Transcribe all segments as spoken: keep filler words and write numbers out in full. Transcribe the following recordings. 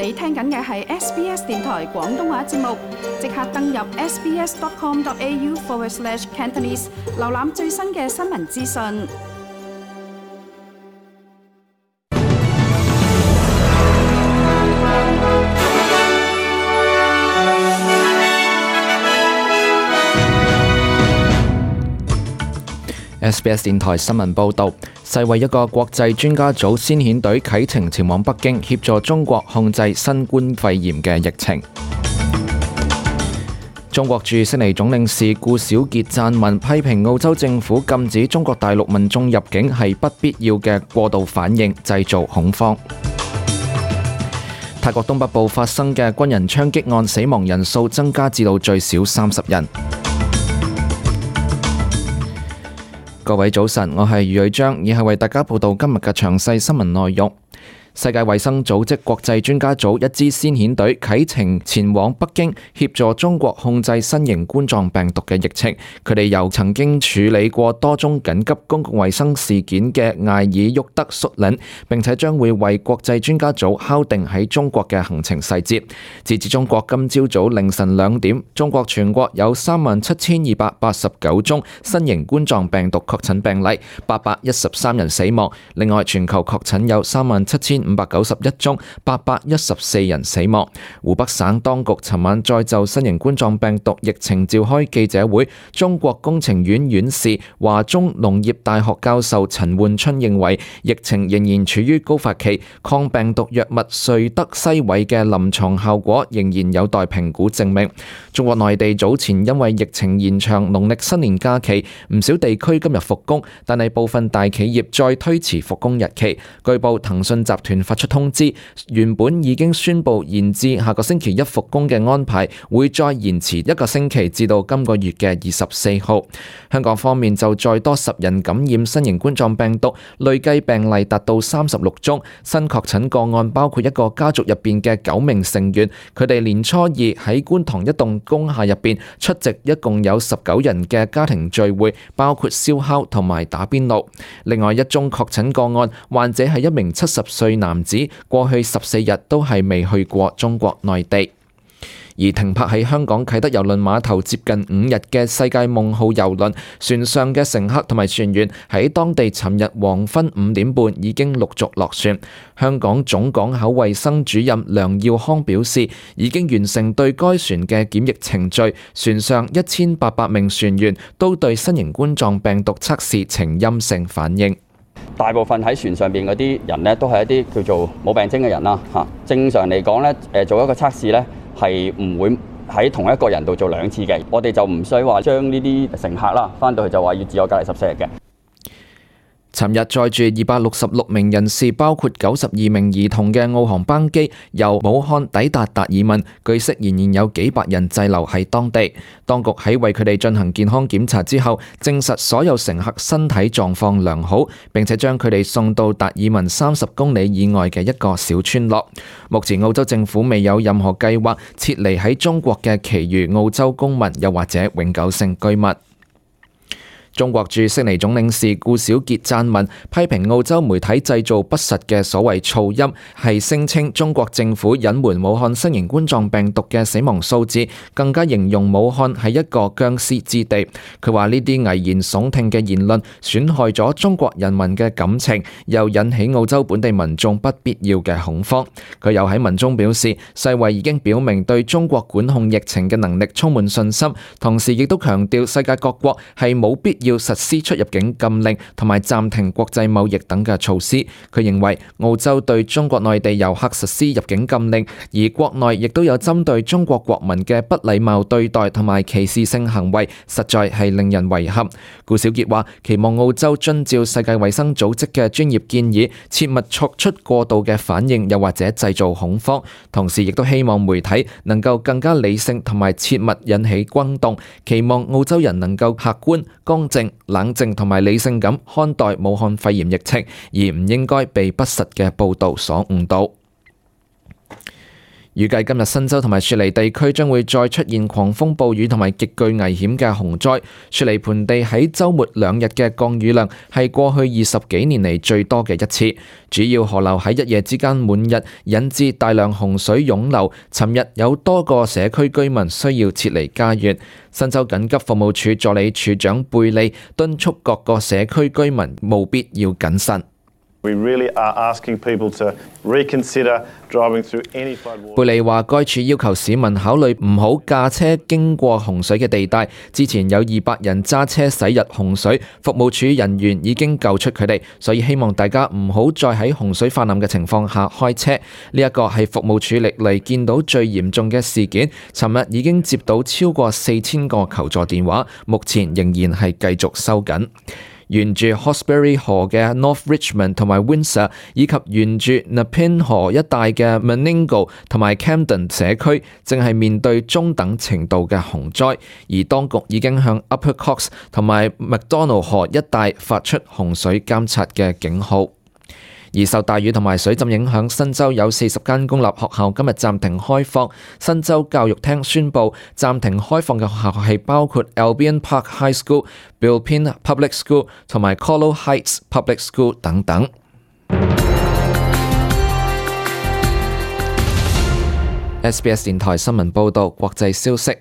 你聽緊嘅係 S B S 電台廣東話節目，即刻登入 sbs.com.au forward slash Cantonese， 瀏覽最新嘅新聞資訊。S B S 電台新聞報導，世衛一個國際專家組先遣隊啟程前往北京，協助中國控制新冠肺炎嘅疫情。中國駐悉尼總領事顧小傑撰文批評澳洲政府禁止中國大陸民眾入境係不必要嘅過度反應，製造恐慌。泰國東北部發生嘅軍人槍擊案，死亡人數增加至到最少三十人。各位早晨，我係余偉章，以下為大家報道今日嘅詳細新聞內容。世界衛生組織國際專家組一支先遣隊啟程前往北京，協助中國控制新型冠狀病毒嘅疫情。佢哋由曾經處理過多宗緊急公共衛生事件嘅艾爾沃德率領，並且將會為國際專家組敲定喺中國嘅行程細節。截至中國今朝早凌晨兩點，中國全國有三萬七千二百八十九宗新型冠狀病毒確診病例，八百一十三人死亡。另外，全球確診有三萬七千五百九十一宗，八百一十四人死亡。湖北省當局尋晚再就新型冠狀病毒疫情召開記者會。中國工程院院士、華中農業大學教授陳煥春認為，疫情仍然處於高發期，抗病毒藥物瑞德西韋嘅臨床效果仍然有待評估證明。中國內地早前因為疫情延長農曆新年假期，唔少地區今日復工，但係部分大企業再推遲復工日期。據報騰訊集團發出通知，原本已經宣布延至下個星期一復工嘅安排，會再延遲一個星期至到今個月嘅二十四號。香港方面就再多十人感染新型冠狀病毒，累計病例達到三十六宗。新確診個案包括一個家族入邊嘅九名成員，佢哋年初二喺觀塘一棟工廈入邊出席一共有十九人嘅家庭聚會，包括燒烤同埋打邊爐。另外一宗確診個案，患者係一名七十歲男子，過去十四日都係未去過中國內地。而停泊喺香港啟德郵輪碼頭接近五日嘅世界夢號郵輪，船上嘅乘客同埋船員喺當地尋日黃昏五點半已經陸續落船。香港總港口衛生主任梁耀康表示，已經完成對該船嘅檢疫程序，船上一千八百名船員都對新型冠狀病毒測試呈陰性反應。大部分喺船上邊嗰啲人呢，都係一啲叫做冇病徵嘅人啦。嚇，正常嚟講呢，誒做一個測試呢，係唔會喺同一個人度做兩次嘅。我哋就唔需要話將呢啲乘客啦，翻到去就話要自我隔離十四日嘅。尋日載住二百六十六名人士，包括九十二名兒童嘅澳航班機由武漢抵達達爾文，據悉仍然有幾百人滯留喺當地。當局喺為佢哋進行健康檢查之後，證實所有乘客身體狀況良好，並且將佢哋送到達爾文三十公里以外嘅一個小村落。目前澳洲政府未有任何計劃撤離喺中國嘅其餘澳洲公民，又或者永久性居民。中國駐悉尼總領事顧小傑撰文批評澳洲媒體製造不實嘅所謂噪音，係聲稱中國政府隱瞞武漢新型冠狀病毒嘅死亡數字，更加形容武漢係一個僵屍之地。佢話呢啲危言聳聽嘅言論損害咗中國人民嘅感情，又引起澳洲本地民眾不必要嘅恐慌。佢又喺文中表示，世衛已經表明對中國管控疫情嘅能力充滿信心，同時亦都強調世界各國係冇必要要實施出入境禁令同埋暫停國際貿易等嘅措施。佢認為澳洲對中國內地遊客實施入境禁令，而國內亦都有針對中國國民嘅不禮貌對待同埋歧視性行為，實在係令人遺憾。顧小傑話：期望澳洲遵照世界衛生組織嘅專業建議，切勿作出過度嘅反應，又或者製造恐慌。同時亦都希望媒體能夠更加理性同埋切勿引起轟動，期望澳洲人能夠客觀、公正、冷靜同埋理性咁看待武漢肺炎疫情，而唔應該被不實嘅報導所誤導。預計今日新州同埋雪梨地區將會再出現狂風暴雨同埋極具危險嘅洪災。雪梨盆地喺週末兩日嘅降雨量係過去二十幾年嚟最多嘅一次，主要河流喺一夜之間滿溢，引致大量洪水湧流。尋日有多個社區居民需要撤離家園。新州緊急服務處助理處長貝利敦促各個社區居民務必要謹慎。We really are asking people to reconsider driving through any floodwater. 貝利話，該處要求市民考慮唔好駕車經過洪水嘅地帶。之前有二百人揸車駛入洪水，服務處人員已經救出佢哋，所以希望大家唔好再喺洪水泛濫嘅情況下開車。呢一個係服務處歷嚟見到最嚴重嘅事件。尋日已經接到超過四千個求助電話，目前仍然係繼續收緊。沿住 Hawkesbury 河嘅 North Richmond 同埋 Windsor， 以及沿住 Nepean 河一帶嘅 Menangle 同埋 Camden 社區，正係面對中等程度嘅洪災，而當局已經向 Upper Cox 同埋 McDonald 河一帶發出洪水監察嘅警號。而受大雨同埋水浸影響，新州有四十間公立學校今日暫停開放。新州教育廳宣布暫停開放嘅學校係包括 Albion Park High School、Bilpin Public School 同埋 Colo Heights Public School 等等。S B S 電台新聞報導，國際消息。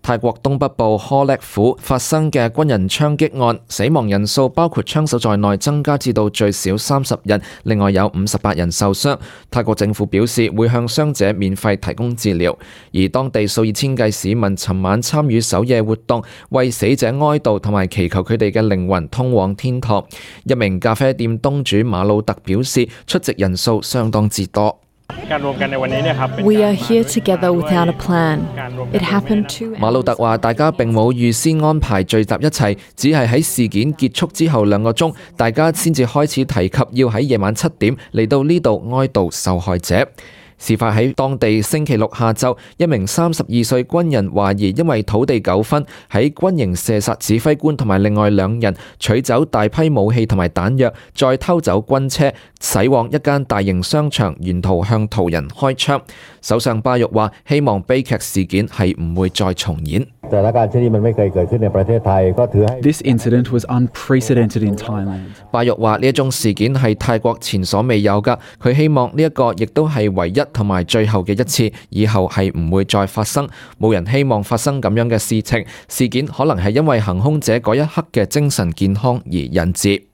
泰國東北部呵叻府發生嘅軍人槍擊案，死亡人數包括槍手在內增加至到最少三十人，另外有五十八人受傷。泰國政府表示會向傷者免費提供治療，而當地數以千計市民尋晚參與守夜活動，為死者哀悼同埋祈求佢哋嘅靈魂通往天堂。一名咖啡店東主馬魯特表示，出席人數相當之多。We are here together without a plan. It happened two. 馬魯特話：大家並冇預先安排聚集一齊，只係喺事件結束之後兩個鐘，大家先至開始提及要喺夜晚七點嚟到呢度哀悼受害者。事發喺當地星期六下晝，一名三十二歲軍人懷疑因為土地糾紛，喺軍營射殺指揮官同埋另外兩人，取走大批武器同埋彈藥，再偷走軍車，駛往一間大型商場，沿途向途人開槍。首相巴育話：希望悲劇事件係唔會再重演。This incident was unprecedented in Thailand. 巴育話：呢一種事件係泰國前所未有㗎，佢希望呢一個亦都係唯一同埋最後嘅一次，以後係唔會再發生。冇人希望發生咁樣嘅事情。事件可能係因為行兇者嗰一刻嘅精神健康而引致。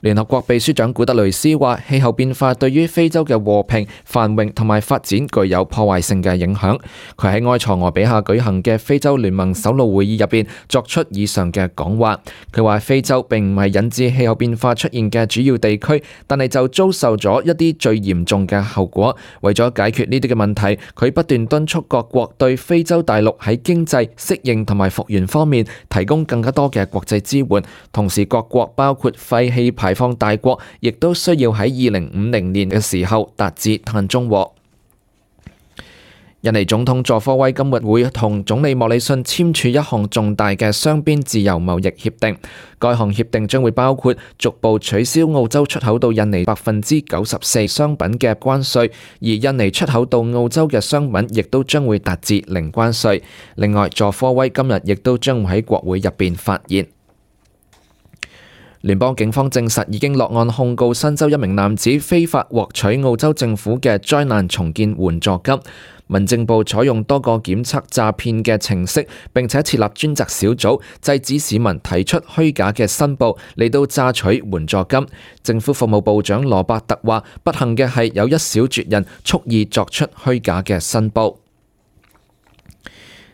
聯合國秘書長古特雷斯話：氣候變化對於非洲嘅和平、繁榮同埋發展具有破壞性嘅影響。佢喺埃塞俄比亞舉行嘅非洲聯盟首腦會議入邊作出以上嘅講話。佢話：非洲並唔係引致氣候變化出現嘅主要地區，但係就遭受咗一啲最嚴重嘅後果。為咗解決呢啲嘅問題，佢不斷敦促各國對非洲大陸喺經濟、適應同埋復原方面提供更加多嘅國際支援。同時，各國包括廢氣排排放大國，亦都需要喺二零五零年嘅時候達至碳中和。印尼總統佐科威今日會同總理莫里遜簽署一項重大嘅雙邊自由貿易協定，該項協定將會包括逐步取消澳洲出口到印尼百分之九十四商品嘅關稅，而印尼出口到澳洲嘅商品亦都將會達至零關稅。另外，佐科威今日亦都將會喺國會入邊發言。聯邦警方證實已經落案控告新州一名男子非法獲取澳洲政府嘅災難重建援助金。民政部採用多個檢測詐騙嘅程式，並且設立專責小組，制止市民提出虛假嘅申報嚟到詐取援助金。政府服務部長羅伯特話：不幸嘅係有一小撮人蓄意作出虛假嘅申報。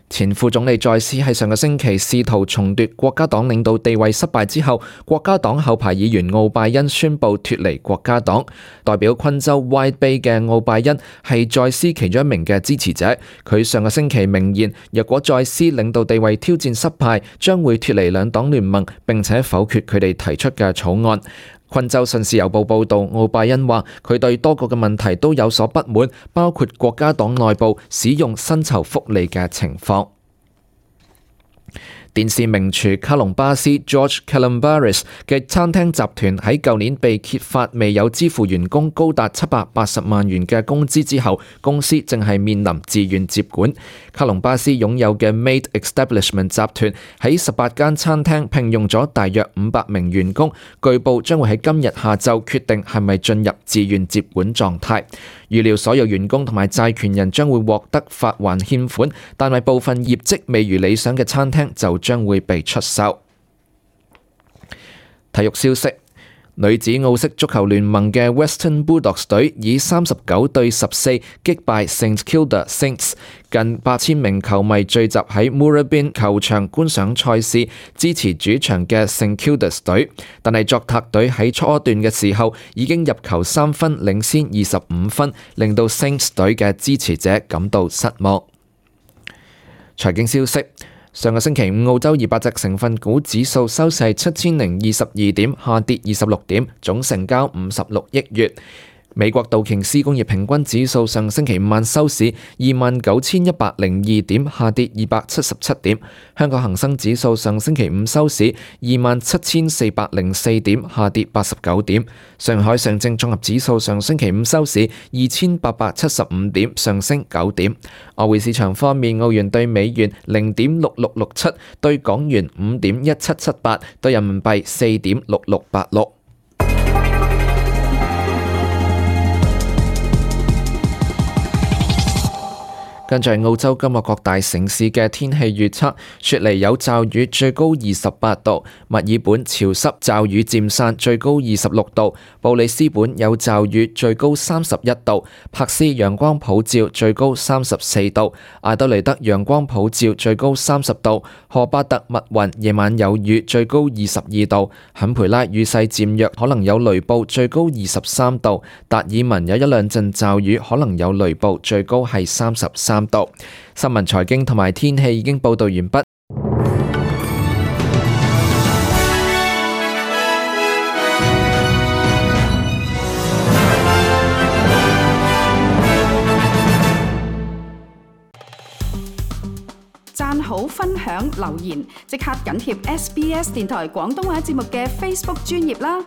前副總理在斯喺上個星期試圖重奪國家黨領導地位失敗之後，國家黨後排議員奧拜恩宣布脫離國家黨。代表昆州 Wide Bay 嘅奧拜恩係在斯其中一名嘅支持者。佢上個星期明言，若果在斯領導地位挑戰失敗，將會脫離兩黨聯盟，並且否決佢哋提出嘅草案。昆州信使郵報報導，奧拜恩話佢對多個嘅問題都有所不滿，包括國家黨內部使用薪酬福利嘅情況。電視名廚卡隆巴斯 George Calombaris 嘅餐廳集團喺舊年被揭發未有支付員工高達七百八十萬元嘅工資之後，公司正係面臨自願接管。卡隆巴斯擁有嘅 Made Establishment 集團喺十八間餐廳聘用咗大約五百名員工，據報將會喺今日下晝決定係咪進入自願接管狀態。預料所有員工同埋債權人將會獲得發還欠款，但係部分業績未如理想嘅餐廳就將會被出售。體育消息。女子澳式足球聯盟嘅 Western Bulldogs 隊以三十九對十四擊敗 St Kilda Saints， 近八千名球迷聚集喺 Moorabbin 球場觀賞賽事，支持主場嘅 St Kilda 隊。但係作客隊喺初段嘅時候已經入球三分，領先二十五分，令到 Saints 隊嘅支持者感到失望。財經消息。上個星期五，澳洲二百隻成分股指數收市七千零二十二點，下跌二十六點，總成交五十六億元。美國道瓊斯工業平均指數上星期五晚收市二萬九千一百零二點，下跌二百七十七點。香港恒生指數上星期五收市二萬七千四百零四點，下跌八十九點。上海上證綜合指數上星期五收市二千八百七十五點，上升九點。外匯市場方面，澳元對美元零點六六六七，對港元五點一七七八，對人民幣四點六六八六。跟住係澳洲今日各大城市嘅天氣預測：雪梨有驟雨，最高二十八度；墨爾本潮濕，驟雨漸散，最高二十六度；布里斯本有驟雨，最高三十一度；柏斯陽光普照，最高三十四度；阿德雷德陽光普照，最高三十度；荷巴特密雲，夜晚有雨，最高二十二度；坎培拉雨勢漸弱，可能有雷暴，最高二十三度；達爾文有一兩陣驟雨，可能有雷暴，最高係三十三度。新聞、財經同埋天氣已經報道完畢。讚好、分享、留言，即刻緊貼 S B S 電台廣東話節目嘅 Facebook 專頁啦！